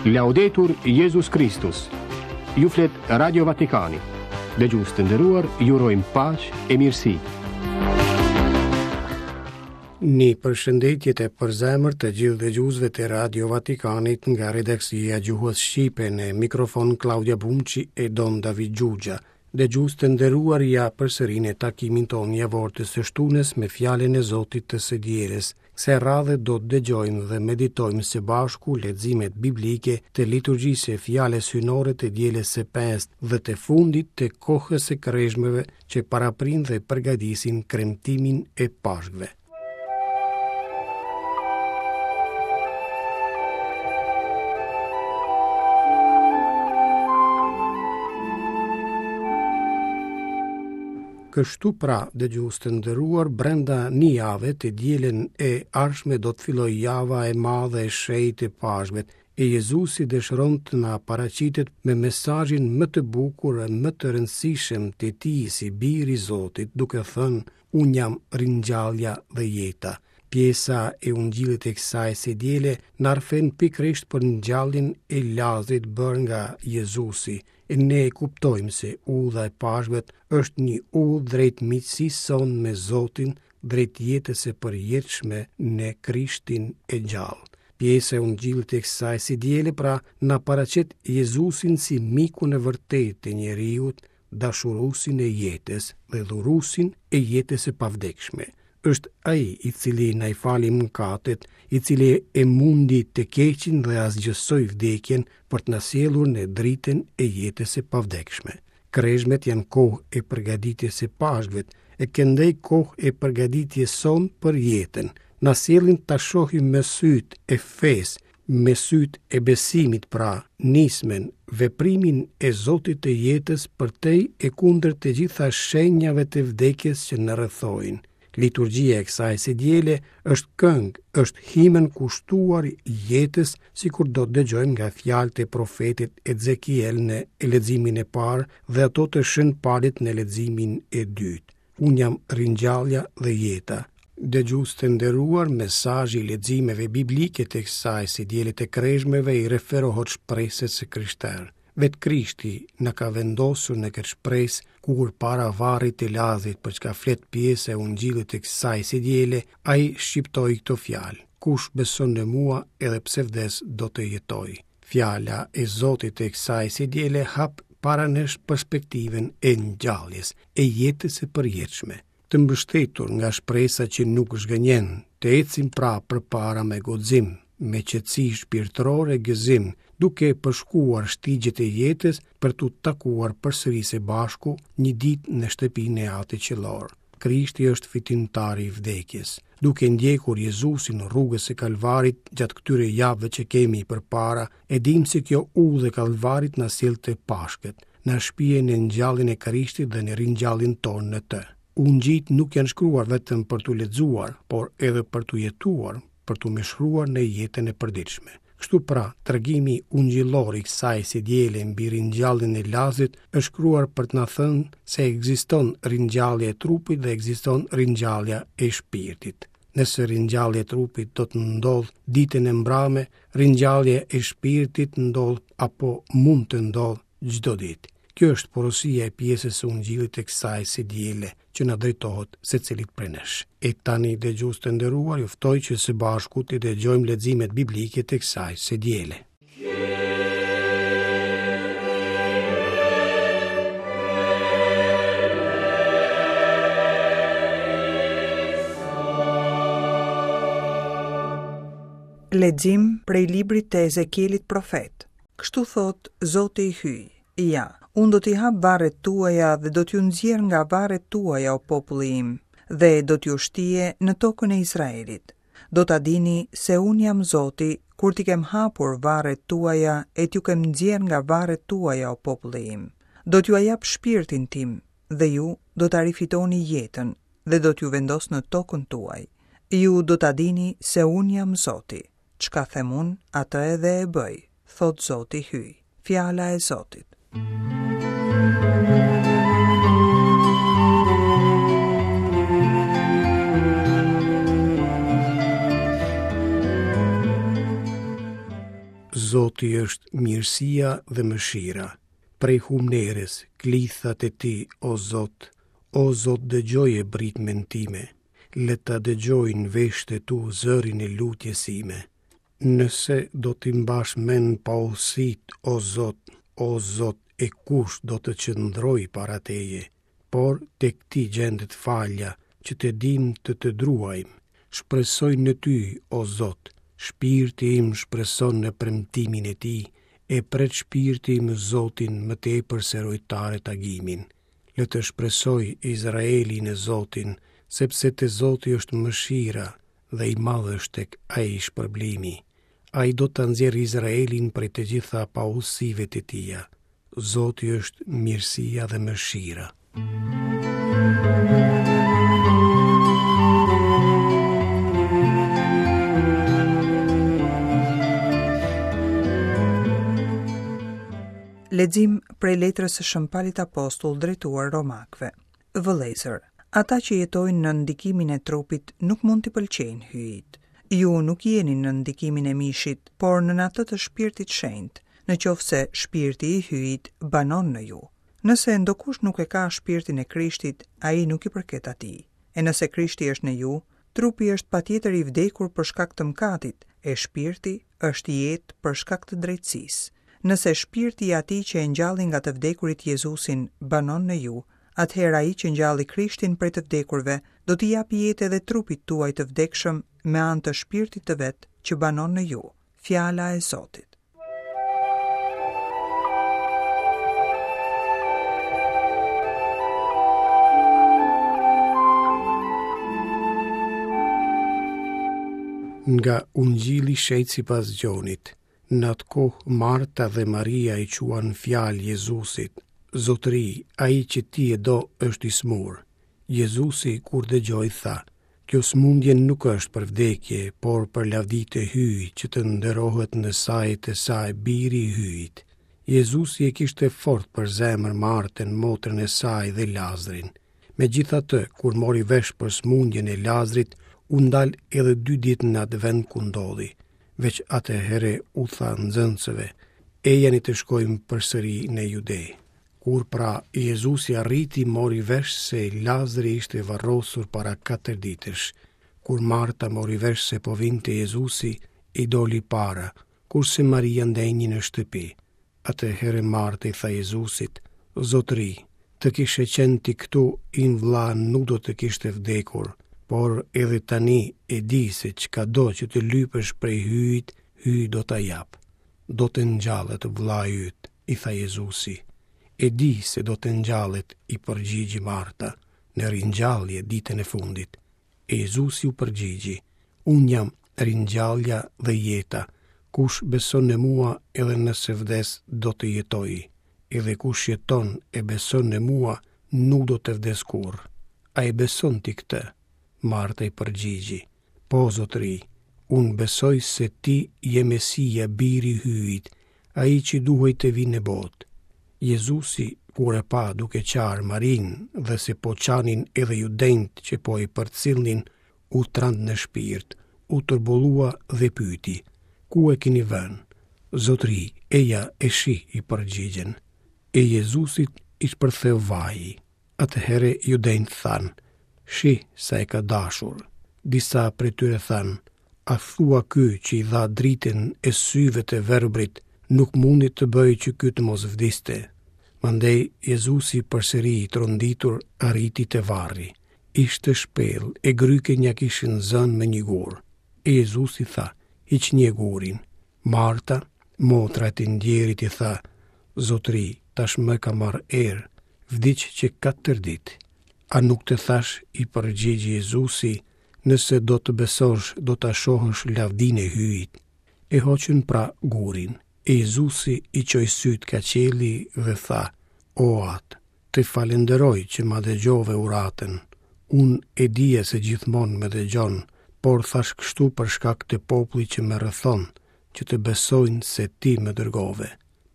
Laudetur Jezus Kristus. Ju flet Radio Vatikani. Dëgjues të nderuar, ju urojmë paqe e mirësi. Një përshëndetje të përzemërt të gjithë dëgjuesve të Radio Vatikanit nga redaksia e gjuhës shqipe në mikrofon Klaudia Bumçi e Don David Xhuxha. Dëgjues të nderuar ja përsëri në takimin tonë javor të së shtunës me fjalën e Zotit të së dielës. Kësaj radhe do të dëgjojmë dhe meditojmë së bashku leximet biblike të liturgjisë së fjalës hyjnore të dielës së pestë dhe të fundit të kohës së krezhmeve që paraprijnë dhe përgatisin kremtimin e Pashkëve. Kështu pra, dëgjues të nderuar, brenda një jave të dielën e ardhshme do të fillojë java e madhe e shenjtë e Pashkëve, e Jezusi dëshiron të na paraqitet me mesazhin më të bukur e më të rëndësishëm të tij si bir i Zotit, duke thënë, Unë jam ringjallja dhe jeta. Pjesa e Ungjillit e kësaj së diele na rrëfen pikërisht për ngjalljen e Lazrit bërë nga Jezusi, e ne e kuptojmë se udha e Pashkëve është një udhë drejt miqësisë sonë me Zotin, drejt jetës së përjetshme në Krishtin e gjallë. Pjesa e Ungjillit e kësaj së diele pra na paraqet Jezusin si mikun e vërtetë të njeriut, dashuruesin e jetës dhe dhuruesin e jetës së pavdekshme. Është ai i cili na i fali mëkatet, i cili e mundi të keqin dhe asgjësoi vdekjen për të na sjellur në dritën e jetës së pavdekshme. Krezhmet janë kohë e përgatitjes së Pashkëve, e këndej kohë e përgatitjes sonë për jetën. Na sjellin ta shohim me sytë e fesë, Me sytë e besimit pra, nismën, veprimin e Zotit të jetës përtej e kundër të gjitha shenjave të vdekjes që na rrethojnë. Liturgjia e kësaj së diele është këngë, është himën kushtuar jetës, sikur do të dëgjojmë nga fjalët e profetit Ezekiel në leximin e parë dhe ato të Shën Palit në leximin e dytë. Unë jam ringjallja dhe jeta. Dëgjues të nderuar, mesazhi i leximeve biblike të kësaj së diele të krezhmeve i referohet shpresës së krishterë. Vetë Krishti na ka vendosur në këtë shpresë, kur para varrit të Lazrit për çka flet pjesa e Ungjillit të kësaj së diele, ai shqiptoi këto fjalë: Kush beson në mua, edhe pse vdes do të jetojë. Fjala e Zotit të kësaj së diele hap para nesh perspektivën e ngjalljes, e jetës së përjetshme. Të mbështetur nga shpresa që nuk zhgënjen, të ecim pra përpara me guxim, me qetësi shpirtërore e gëzim, duke përshkuar shtigjet e jetës për t'u takuar përsëri së bashku një ditë në shtëpinë e Atit Qiellor. Krishti është fitimtari i vdekjes. Duke ndjekur Jezusin rrugës së Kalvarit gjatë këtyre javëve që kemi përpara, e dimë se kjo udhë e Kalvarit na sjell te Pashkët, na shpie në ngjalljen e Krishtit dhe në ringjalljen tonë në të. Ungjijtë nuk janë shkruar vetëm për t'u lexuar, por edhe për t'u jetuar, për t'u mishëruar në jetën e përditshme. Kështu pra, tregimi ungjillor i kësaj së diele mbi ringjalljen e Lazrit është shkruar për të na thënë se ekziston ringjallja e trupit dhe ekziston ringjallja e shpirtit. Nëse ringjallja e trupit do të ndodhë ditën e mbrame, ringjallja e shpirtit ndodh apo mund të ndodhë çdo ditë. Kjo është porosia e pjesës së Ungjillit të kësaj së diele që na drejtohet secilit prej nesh. E tani dëgjues të nderuar, ju ftoj që së bashku të dëgjojmë leximet biblike të kësaj së diele. Lexim prej librit të Ezekielit profet. Kështu thotë Zoti i Hyj, Ja, unë do t'i hap varret tuaja dhe do t'ju nxjerr nga varret tuaja o populli im, dhe do t'ju shtie në tokën e Izraelit. Do ta dini se unë jam Zoti, kur t'i kem hapur varret tuaja e t'ju kem nxjerrë nga varret tuaja o populli im. Do t'jua jap shpirtin tim dhe ju do ta rifitoni jetën dhe do t'ju vendos në tokën tuaj. Ju do ta dini se unë jam Zoti. Çka them unë, atë edhe e bëj, thotë Zoti Hyj. Fjala e Zotit. Zoti është mirësia dhe mëshira. Prej humnerës, klithat e ti, o Zot, o Zot dëgjoje britmën time, le ta dëgjojnë veshët e tu zërin e lutjes sime. Nëse do t'i mbash mend paudhësitë, o Zot, o Zot, e kush do të qëndrojë para teje? Por tek ti gjendet falja, që të dimë të të druajmë. Shpresoj në ty, o Zot, shpirti im shpreson në premtimin e tij, e pret shpirti im Zotin më tepër se rojtarët agimin. Le të shpresojë Izraeli në Zotin, sepse te Zoti është mëshira dhe i madh është tek ai shpërblimi. Ai do ta nxjerrë Izraelin prej të gjitha paudhësive të tija. Zoti është mirësia dhe mëshira. Lexim prej letrës së Shën Palit Apostull drejtuar Romakëve. Vëllezër, ata që jetojnë nën ndikimin e trupit nuk mund t'i pëlqejnë Hyjit. Ju nuk jeni nën ndikimin e mishit, por nën atë të Shpirtit Shenjt, në qoftë se Shpirti i Hyjit banon në ju. Nëse ndokush nuk e ka Shpirtin e Krishtit, ai nuk i përket atij. E nëse Krishti është në ju, trupi është patjetër i vdekur për shkak të mëkatit, e shpirti është jetë për shkak të drejtësisë. Nëse shpirti i atij që e ngjalli nga të vdekurit Jezusin banon në ju, atëherë ai që ngjalli Krishtin prej të vdekurve do t'i japë jetë edhe trupit tuaj të vdekshëm me anë të shpirtit të vet që banon në ju. Fjala e Zotit. Nga Ungjilli i Shenjtë sipas Gjonit, në atë kohë Marta dhe Maria i çuan fjalë Jezusit, Zotëri, ai që ti e do është i sëmurë. Jezusi kur dëgjoi tha, Kjo sëmundje nuk është për vdekje, por për lavdi të Hyjit, që të nderohet në sajë të saj Biri i Hyjit. Jezusi e kishte fort për zemër Martën, motrën e saj dhe Lazrin. Megjithatë, kur mori vesh për sëmundjen e Lazrit, u ndal edhe dy ditë në atë vend ku ndodhi. Veç atëherë u tha nxënësve, Ejani të shkojmë përsëri në Jude. Kur pra Jezusi arriti mori vesh se Lazri ishte varrosur para katër ditësh. Kur Marta mori vesh se po vinte Jezusi, i doli para, kurse Maria ndenji në shtëpi. Atëherë Marta i tha Jezusit, Zotëri, të kishe qenë ti këtu, im vëlla nuk do të kishte vdekur, por edhe tani e di se çkado që të lypësh prej Hyjit, Hyji do ta japë. Do të ngjallet vëllai yt. I tha Jezusi. E di se do të ngjallet, i përgjigji Marta, në ringjallje ditën e fundit. E Jezusi u përgjigji, Unë jam ringjallja dhe jeta, kush beson në mua edhe nëse vdes do të jetojë, edhe kush jeton e beson në mua nuk do të vdesë kurrë. A e beson ti këtë? Marta i përgjigji, Po, zotëri, unë besoj se ti je Mesia, biri i Hyjit, ai që duhej të vijë në botë. Jezusi, kur e pa duke qarë Marinë dhe se po qanin edhe judenjtë që po e përcillnin, u trand në shpirt, u turbullua dhe pyeti, Ku e keni vënë? Zotëri, eja e shih, i përgjigjën. E Jezusit i shpërtheu vaji. Atëherë judenjtë thanë, Shih sa e ka dashur. Disa prej tyre thanë, A thua ky që i dha dritën e syve të verbrit, nuk mundi të bëjë që ky të mos vdiste? Mandej Jezusi përsëri i tronditur arriti te varri. Ishte shpellë e grykën ia kishin zënë me një gur. E Jezusi tha, Hiqnie gurin. Marta, motra e të ndjerit i tha, Zotëri, tashmë ka marrë erë, vdiq që katër ditë. A nuk të thashë, i përgjigji Jezusi, nëse do të besosh, do ta shohësh lavdinë e Hyjit. E hoqën pra gurin. E Jezusi i çoi sytë ka qielli dhe tha, O Atë, të falënderoj që ma dëgjove uratën. Unë e dija se gjithmonë më dëgjon, por thashë kështu për shkak të popullit që më rrethon, që të besojnë se ti më dërgove.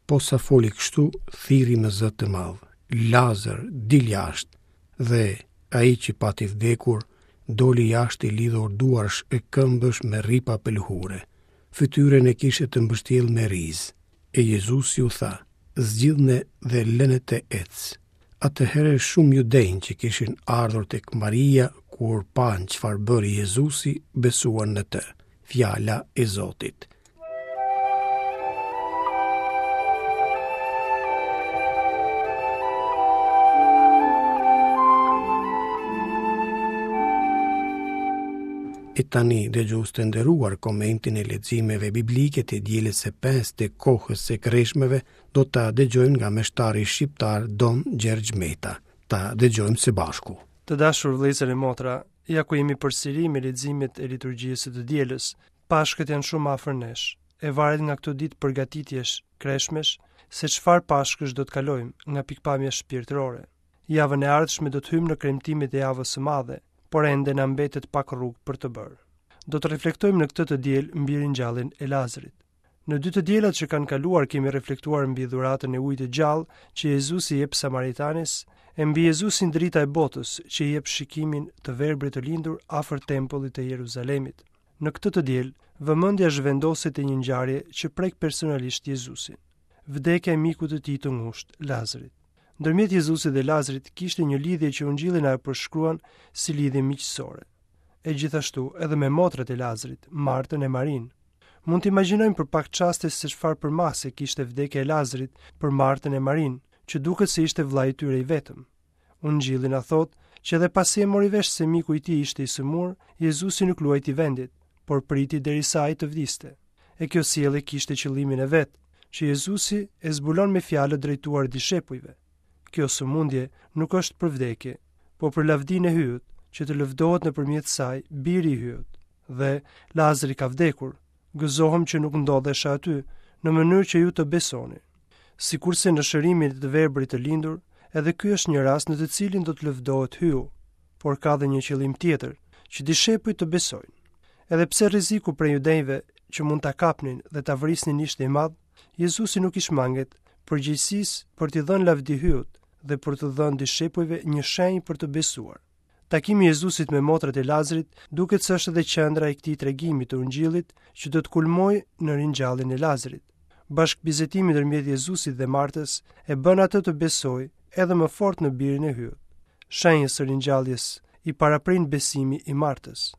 Posa foli kështu, thirri me zë të madh, Lazër, dil jashtë! Dhe ai që pati vdekur, doli jashtë i lidhur duarsh e këmbësh me rripa pëlhure. Fytyrën e kishte të mbështjellë me rizë. E Jezusi u tha, Zgjidhne dhe lëne të ecë. Atëherë shumë judenj që kishin ardhur tek Maria, kur panë çfarë bëri Jezusi, besuan në të. Fjala e Zotit. E tani, dëgjues të nderuar, komentin e leximeve biblike të dielës së pestë të kohës së kreshmeve do ta dëgjojmë nga meshtari shqiptar Dom Gjergj Meta. Ta dëgjojmë së bashku. Të dashur vëllezër e motra, ja ku jemi përsëri me leximet e liturgjisë së të dielës. Pashkët janë shumë afër nesh. E varet nga këto ditë përgatitjesh, kreshmesh, se çfarë Pashkësh do të kalojmë nga pikëpamja shpirtërore. Javën e ardhshme do të hyjmë në kremtimet e javës së madhe, por ende na mbetet pak rrugë për të bërë. Do të reflektojmë në këtë të diel mbi ringjalljen e Lazrit. Në dy të dielat që kanë kaluar kemi reflektuar mbi dhuratën e ujit të gjallë që Jezusi i jep Samaritanes, e mbi Jezusin drita e botës që i jep shikimin të verbrit të lindur afër tempullit të Jeruzalemit. Në këtë të diel, vëmendja zhvendoset te një ngjarje që prek personalisht Jezusin. Vdekja e mikut të tij të ngushtë, Lazrit. Ndërmjet Jezusit dhe Lazrit kishte një lidhje që Ungjilli na e përshkruan si lidhje miqësore. E gjithashtu edhe me motrat e Lazrit, Martën e Marinë. Mund të imagjinojmë për pak çaste se çfarë përmase kishte vdekja e Lazrit për Martën e Marinë, që duket se ishte vëllai i tyre i vetëm. Ungjilli na thotë që edhe pasi e mori vesh se miku i tij ishte i sëmurë, Jezusi nuk luajti vendit, por priti derisa ai të vdiste. E kjo sjellje kishte qëllimin e vet, që Jezusi e zbulon me fjalët drejtuar dishepujve. Kjo sëmundje nuk është për vdekje, po për lavdinë e Hyjut, që të lëvdohet nëpërmjet saj biri i Hyjut. Dhe Lazri ka vdekur, gëzohem që nuk ndodhesha aty, në mënyrë që ju të besoni. Sikurse në shërimin e të verbrit të lindur, edhe ky është një rast në të cilin do të lëvdohet Hyu, por ka dhe një qëllim tjetër, që dishepujt të besojnë. Edhe pse rreziku prej judenjve që mund ta kapnin dhe ta vrisnin ishte i madh, Jezusi nuk i shmanget përgjegjësisë për t'i dhënë lavdi Hyut dhe për t'u dhënë dishepujve një shenjë për të besuar. Takimi i Jezusit me motrat e Lazrit duket se është edhe qendra e këtij tregimi të Ungjillit që do të kulmojë në ringjalljen e Lazrit. Bashkëbisedimi ndërmjet Jezusit dhe Martës e bën atë të besojë edhe më fort në birin e Hyut. Shenjës së ringjalljes i paraprin besimi i Martës.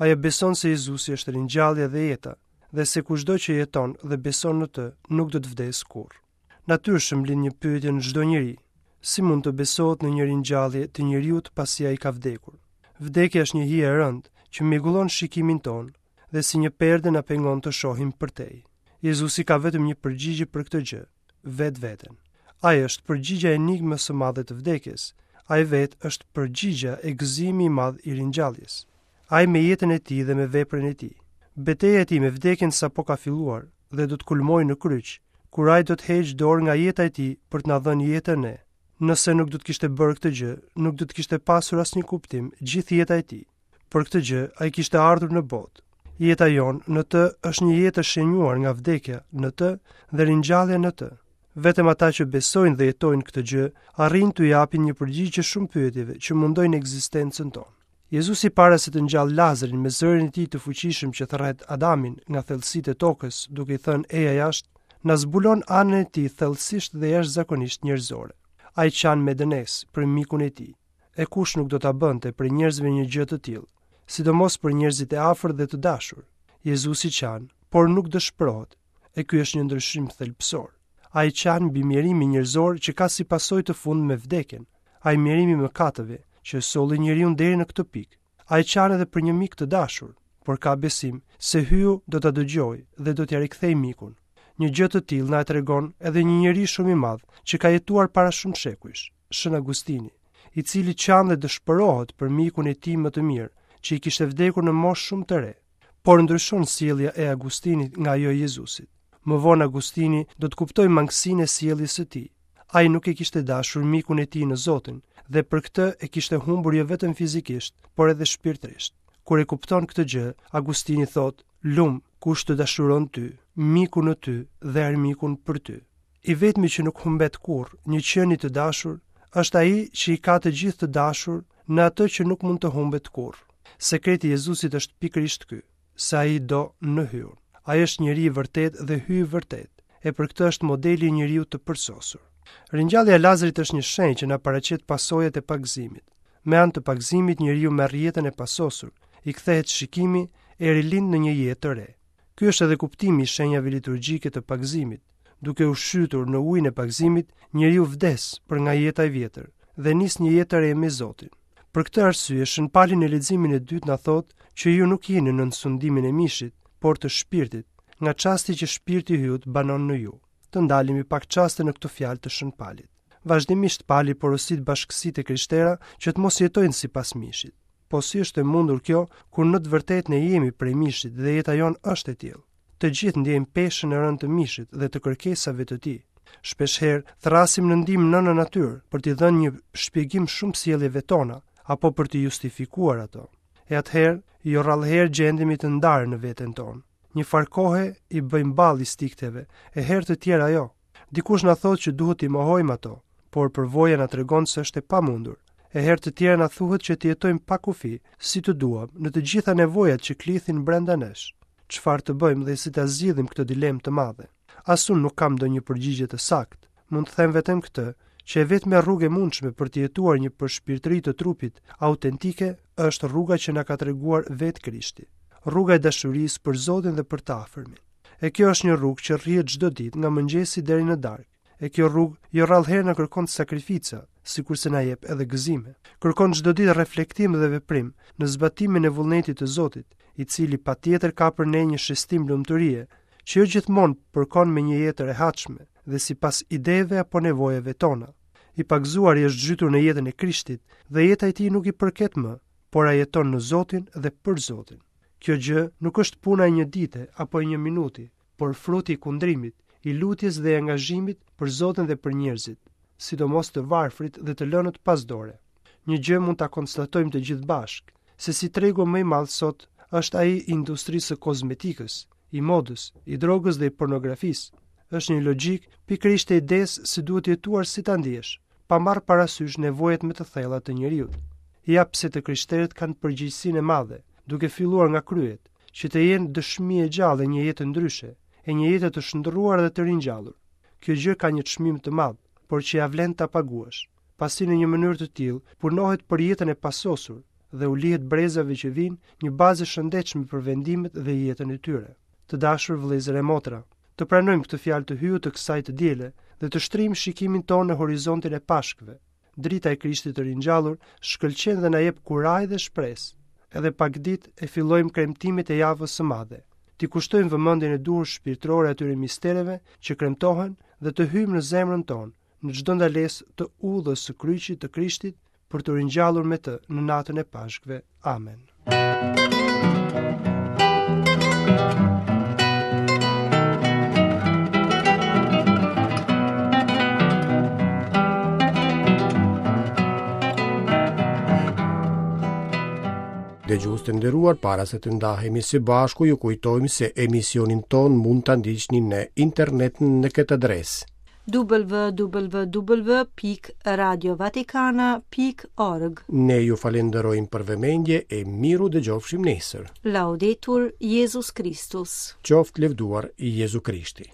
Ajo beson se Jezusi është ringjallja dhe jeta dhe se kushdo që jeton dhe beson në të nuk do të vdesë kurrë. Natyrshëm lind një pyetje në çdo njeri, si mund të besohet në një ringjallje të njeriut pasi ai ka vdekur? Vdekja është një hije e rëndë që mjegullon shikimin tonë dhe si një perde na pengon të shohim përtej. Jezusi ka vetëm një përgjigje për këtë gjë, vetveten. Ai është përgjigja e enigmës së madhe të vdekjes. Ai vetë është përgjigja e gëzimi i madh i ringjalljes. Ai me jetën e tij dhe me veprën e tij. Beteja e tij me vdekjen sapo ka filluar dhe do të kulmojë në kryq, kur ai do të heqë dorë nga jeta e tij për të na dhënë jetën ne. Nëse nuk do të kishte bërë këtë gjë, nuk do të kishte pasur asnjë kuptim gjithë jeta e tij. Për këtë gjë ai kishte ardhur në botë. Jeta jonë në të është një jetë e shenjuar nga vdekja në të dhe ringjallja në të. Vetëm ata që besojnë dhe jetojnë këtë gjë, arrijnë t'u japin një përgjigje shumë pyetjeve që mundojnë ekzistencën tonë. Jezusi para se të ngjallë Lazrin me zërin e tij të fuqishëm që thërret Adamin nga thellësitë e tokës, duke i thënë eja jashtë, na zbulon anën e tij thellësisht dhe jashtëzakonisht njerëzore. Ai qan me dënesë për mikun e tij. E kush nuk do ta bënte prej njerëzve një gjë të tillë, sidomos për njerëzit e afërt dhe të dashur. Jezusi qan, por nuk dëshpërohet. E ky është një ndryshim thelbësor. Ai qan mbi mjerimin njerëzor që ka si pasojë të fundme vdekjen. Ai mjerim i mëkateve që e solli njeriun deri në këtë pikë. Ai qan edhe për një mik të dashur, por ka besim se Hyu do ta dëgjojë dhe do t'ia rikthejë mikun. Një gjë të tillë na e tregon edhe një njeri shumë i madh që ka jetuar para shumë shekujsh, Shën Agustini, i cili qan dhe dëshpërohet për mikun e tij më të mirë, që i kishte vdekur në moshë shumë të re. Por ndryshon sjellja e Agustinit nga ajo e Jezusit. Më vonë Agustini do të kuptojë mangësinë e sjelljes së tij. Ai nuk e kishte dashur mikun e tij në Zotin dhe për këtë e kishte humbur jo vetëm fizikisht, por edhe shpirtërisht. Kur e kupton këtë gjë, Agustini thotë: "Lum kush të dashuron ty, mikun në ty dhe armikun për ty." I vetmi që nuk humbet kurrë një qenie të dashur është ai që i ka të gjithë të dashur në atë që nuk mund të humbet kurrë. Sekreti i Jezusit është pikërisht ky, se ai do në Hyun. Ai është njeri i vërtetë dhe Hyj i vërtetë, e për këtë është modeli i njeriut të përsosur. Ringjallja e Lazarit është një shenjë që na paraqet pasojat e pagëzimit. Me anë të pagëzimit njeriu merr jetën e pasosur, i kthehet shikimi e rilind në një jetë të re. Ky është edhe kuptimi i shenjave liturgjike të pagëzimit. Duke u shytur në ujin e pagëzimit, njeriu vdes për nga jeta e vjetër dhe nis një jetë të re me Zotin. Për këtë arsye, Shën Pali në leximin e dytë na thotë që ju nuk jeni nën sundimin e mishit, por të shpirtit, nga çasti që shpirti i Hyjut banon në ju. Të ndalemi pak çaste në këto fjalë të Shën Palit. Vazhdimisht Pali porosit bashkësitë e krishtera që të mos jetojnë sipas mishit. Po si është e mundur kjo kur në të vërtetë ne jemi prej mishit dhe jeta jonë është e tillë? Të gjithë ndjejmë peshën e rëndë të mishit dhe të kërkesave të tij. Shpeshherë thërrasim në ndihmë nënën natyrë për t'i dhënë një shpjegim shumë sjelljeve tona apo për t'i justifikuar ato. E atëherë, jo rrallëherë gjendemi të ndarë në veten tonë. Një farë kohe i bëjmë ballë instinkteve, e herë të tjera jo. Dikush na thotë që duhet t'i mohojmë ato, por përvoja na tregon se është e pamundur. E herë të tjera na thuhet që të jetojmë pa kufi, si të duam, në të gjitha nevojat që klithin brenda nesh. Çfarë të bëjmë dhe si ta zgjidhim këtë dilemë të madhe? As unë nuk kam ndonjë përgjigje të saktë. Mund të them vetëm këtë, që e vetmja rrugë e mundshme për të jetuar një përshpirtëri të trupit autentike është rruga që na ka treguar vetë Krishti. Rruga e dashurisë për Zotin dhe për të afërmin. E kjo është një rrugë që rrihet çdo ditë nga mëngjesi deri në darkë. E kjo rrugë jo rrallëherë na kërkon sakrifica, sikurse na jep edhe gëzime. Kërkon çdo ditë reflektim dhe veprim në zbatimin e vullnetit të Zotit, i cili patjetër ka për ne një shestim lumturie, që jo gjithmonë përkon me një jetë të rehatshme dhe sipas ideve apo nevojave tona. I pagëzuari është zhytur në jetën e Krishtit dhe jeta e tij nuk i përket më, por ai jeton në Zotin dhe për Zotin. Kjo gjë nuk është puna e një dite apo e një minuti, por fruti i kundrimit, i lutjes dhe i angazhimit për Zotin dhe për njerëzit, sidomos të varfrit dhe të lënët pas dore. Një gjë mund ta konstatojmë të gjithë bashkë, se si tregu më i madh sot është ai i industrisë së kozmetikës, i modës, i drogës dhe i pornografisë. Është një logjikë pikërisht e idesë se duhet jetuar si ta ndiesh, pa marrë parasysh nevojat më të thella të njeriut. Ja pse të krishterët kanë përgjegjësinë e madhe, duke filluar nga kryet, që të jenë dëshmi e gjallë e një jete ndryshe, e një jete të shndërruar dhe të ringjallur. Kjo gjë ka një çmim të madh, por që ia vlen ta paguash, pasi në një mënyrë të tillë punohet për jetën e pasosur dhe u lihet brezave që vijnë një bazë e shëndetshme për vendimet dhe jetën e tyre. Të dashur vëllezër e motra, të pranojmë këtë fjalë të Hyjut të kësaj të diele dhe të shtrijmë shikimin tonë në horizontin e Pashkëve. Drita e Krishtit të ringjallur shkëlqen dhe na jep kurajë dhe shpresë. Edhe pak ditë e fillojmë kremtimet e javës së madhe. T'i kushtojmë vëmendjen e duhur shpirtërore atyre mistereve që kremtohen dhe të hyjmë në zemrën tonë, në çdo ndalesë të udhës së kryqit të Krishtit për t'u ringjallur me të në natën e Pashkëve. Amen. Dëgjues të nderuar, para se të ndahemi së bashku, ju kujtojmë se emisionin tonë mund ta ndiqni në internet në këtë adresë www.radiovatikana.org Ne ju falenderojmë për vëmendje e mirudëgjofshim nesër. Laudetur Jezus Christus. Qoftë lëvduar Jezu Krishti.